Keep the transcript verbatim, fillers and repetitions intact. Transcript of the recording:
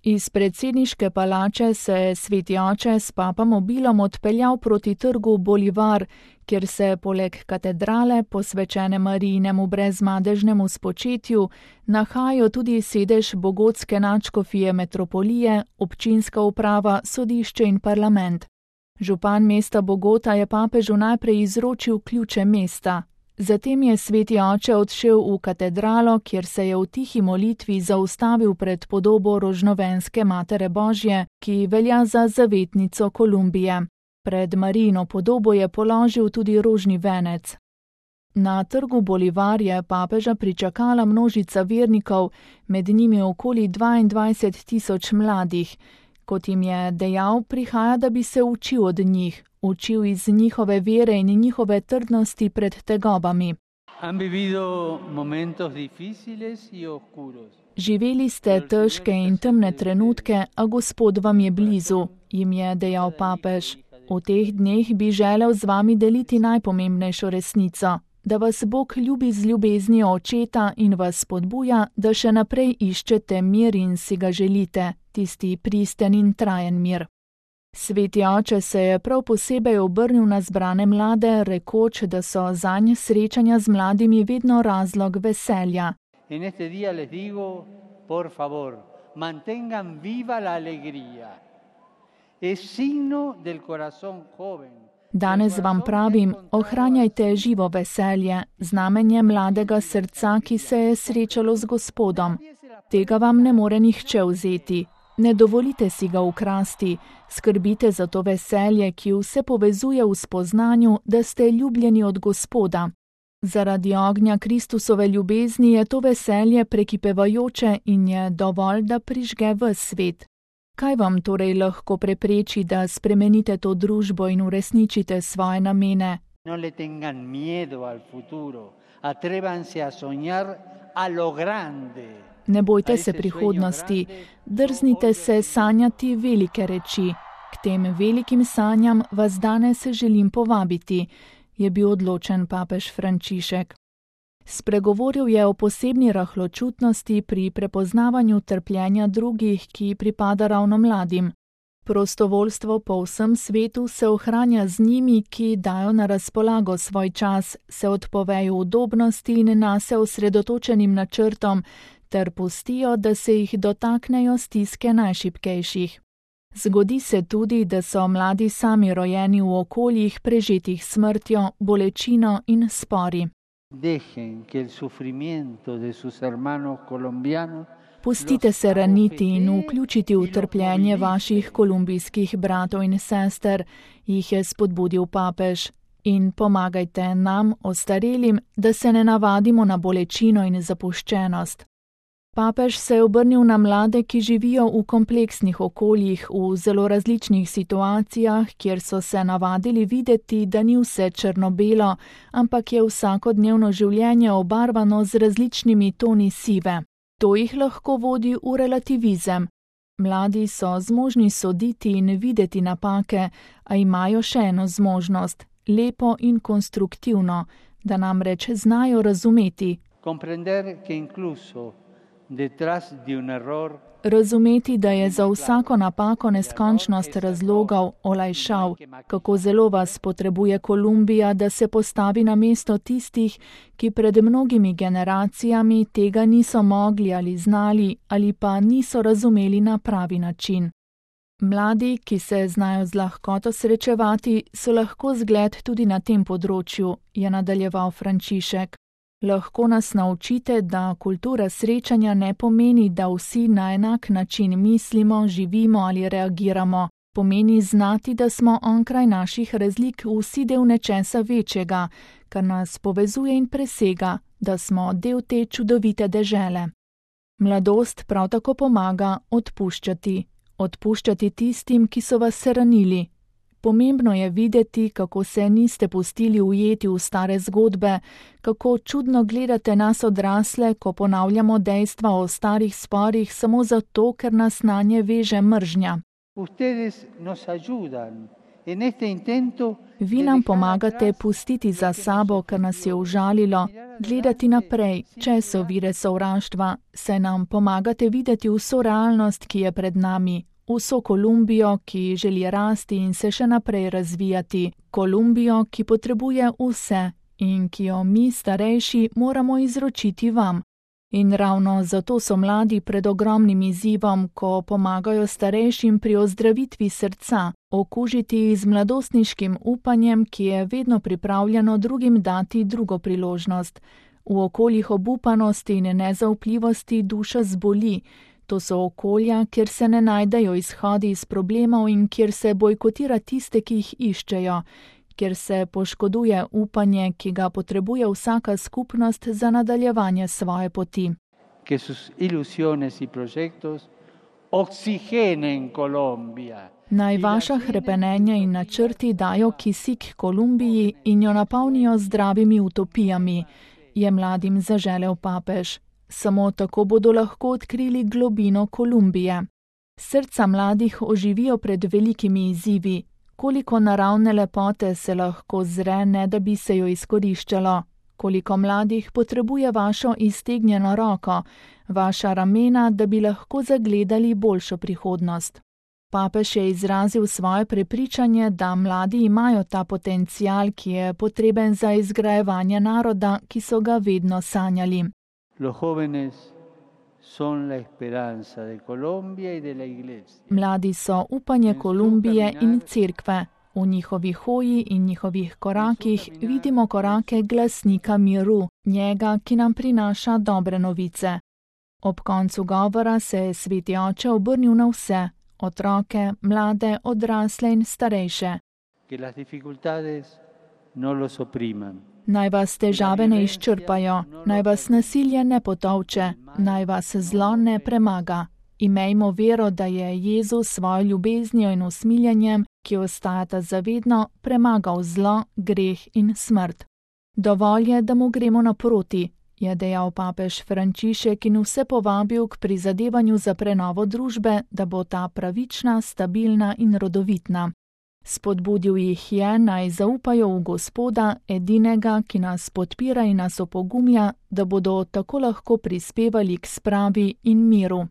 Iz predsedniške palače se je sveti oče s papamobilom odpeljal proti trgu Bolivar, kjer se poleg katedrale, posvečene Marijinemu brezmadežnemu spočetju, nahajajo tudi sedež bogotske nadškofije metropolije, občinska uprava, sodišče in parlament. Župan mesta Bogota je papežu najprej izročil ključe mesta. Zatem je sveti oče odšel v katedralo, kjer se je v tihi molitvi zaustavil pred podobo rožnovenske Matere Božje, ki velja za zavetnico Kolumbije. Pred Marijino podobo je položil tudi rožni venec. Na trgu Bolivar je papeža pričakala množica vernikov, med njimi okoli dvaindvajset tisoč mladih. Kot jim je dejal, prihaja, da bi se učil od njih, učil iz njihove vere in njihove trdnosti pred tegobami. Živeli ste težke in temne trenutke, a Gospod vam je blizu, jim je dejal papež. V teh dneh bi želel z vami deliti najpomembnejšo resnico, da vas Bog ljubi z ljubeznijo očeta in vas spodbuja, da še naprej iščete mir in si ga želite, tisti pristen in trajen mir. Sveti oče se je prav posebej obrnil na zbrane mlade, rekoč, da so zanj srečanja z mladimi vedno razlog veselja. In este día les digo, por favor, mantengan viva la alegría. Es signo del corazón joven. Danes vam pravim, ohranjajte živo veselje, znamenje mladega srca, ki se je srečalo z Gospodom. Tega vam ne more nihče vzeti. Ne dovolite si ga ukrasti, skrbite za to veselje, ki vse povezuje v spoznanju, da ste ljubljeni od Gospoda. Zaradi ognja Kristusove ljubezni je to veselje prekipevajoče in je dovolj, da prižge ves svet. Kaj vam torej lahko prepreči, da spremenite to družbo in uresničite svoje namene? No le tengan miedo al futuro, atrévanse a soñar a lo grande. Ne bojte se prihodnosti, drznite se sanjati velike reči. K tem velikim sanjam vas danes želim povabiti, je bil odločen papež Frančišek. Spregovoril je o posebni rahločutnosti pri prepoznavanju trpljenja drugih, ki pripada ravno mladim. Prostovoljstvo po vsem svetu se ohranja z njimi, ki dajo na razpolago svoj čas, se odpovejo udobnosti in nase osredotočenim načrtom, ter pustijo, da se jih dotaknejo stiske najšibkejših. Zgodi se tudi, da so mladi sami rojeni v okoljih prežetih smrtjo, bolečino in spori. Pustite se raniti in vključiti v trpljenje vaših kolumbijskih bratov in sester, jih je spodbudil papež. In pomagajte nam, ostarelim, da se ne navadimo na bolečino in zapuščenost. Papež se je obrnil na mlade, ki živijo v kompleksnih okoljih, v zelo različnih situacijah, kjer so se navadili videti, da ni vse črno-belo, ampak je vsakodnevno življenje obarvano z različnimi toni sive. To jih lahko vodi v relativizem. Mladi so zmožni soditi in videti napake, a imajo še eno zmožnost, lepo in konstruktivno, da namreč znajo razumeti. Comprender que incluso detrás de un error Razumeti, da je za vsako napako neskončnost razlogov, olajšav, kako zelo vas potrebuje Kolumbija, da se postavi na mesto tistih, ki pred mnogimi generacijami tega niso mogli ali znali ali pa niso razumeli na pravi način. Mladi, ki se znajo z lahkoto srečevati, so lahko zgled tudi na tem področju, je nadaljeval Frančišek. Lahko nas naučite, da kultura srečanja ne pomeni, da vsi na enak način mislimo, živimo ali reagiramo. Pomeni znati, da smo onkraj naših razlik vsi del nečesa večjega, kar nas povezuje in presega, da smo del te čudovite dežele. Mladost prav tako pomaga odpuščati. Odpuščati tistim, ki so vas ranili. Pomembno je videti, kako se niste pustili ujeti v stare zgodbe, kako čudno gledate nas odrasle, ko ponavljamo dejstva o starih sporih samo zato, ker nas nanje veže mržnja. Ustedes nos ayudan Vi nam pomagate pustiti za sabo, kar nas je užalilo, gledati naprej, če so vire sovraštva, saj nam pomagate videti vso realnost, ki je pred nami, vso Kolumbijo, ki želi rasti in se še naprej razvijati, Kolumbijo, ki potrebuje vse in ki jo mi, starejši, moramo izročiti vam. In ravno zato so mladi pred ogromnim izzivom, ko pomagajo starejšim pri ozdravitvi srca, okužiti z mladostniškim upanjem, ki je vedno pripravljeno drugim dati drugo priložnost. V okoljih obupanosti in nezaupljivosti duša zboli. To so okolja, kjer se ne najdejo izhodi iz problemov in kjer se bojkotira tiste, ki jih iščejo, kjer se poškoduje upanje, ki ga potrebuje vsaka skupnost za nadaljevanje svoje poti. Naj vaša hrepenenja in načrti dajo kisik Kolumbiji in jo napolnijo zdravimi utopijami, je mladim zaželel papež. Samo tako bodo lahko odkrili globino Kolumbije. Srca mladih oživijo pred velikimi izzivi. Koliko naravne lepote se lahko zre, ne da bi se jo izkoriščalo, koliko mladih potrebuje vašo iztegnjeno roko, vaša ramena, da bi lahko zagledali boljšo prihodnost. Papež je izrazil svoje prepričanje, da mladi imajo ta potencial, ki je potreben za izgrajevanje naroda, ki so ga vedno sanjali. Mladi so upanje Kolumbije in cerkve. V njihovih hoji in njihovih korakih vidimo korake glasnika miru, njega, ki nam prinaša dobre novice. Ob koncu govora se je sveti oče obrnil na vse, otroke, mlade, odrasle in starejše. Naj vas težave ne izčrpajo, naj vas nasilje ne potolče, naj vas zlo ne premaga. Imejmo vero, da je Jezus svojo ljubeznijo in usmiljenjem, ki ostajata zavedno, premagal zlo, greh in smrt. Dovolj je, da mu gremo naproti, je dejal papež Frančišek in vse povabil k prizadevanju za prenovo družbe, da bo ta pravična, stabilna in rodovitna. Spodbudil jih je, naj zaupajo v Gospoda, edinega, ki nas podpira in nas opogumlja, da bodo tako lahko prispevali k spravi in miru.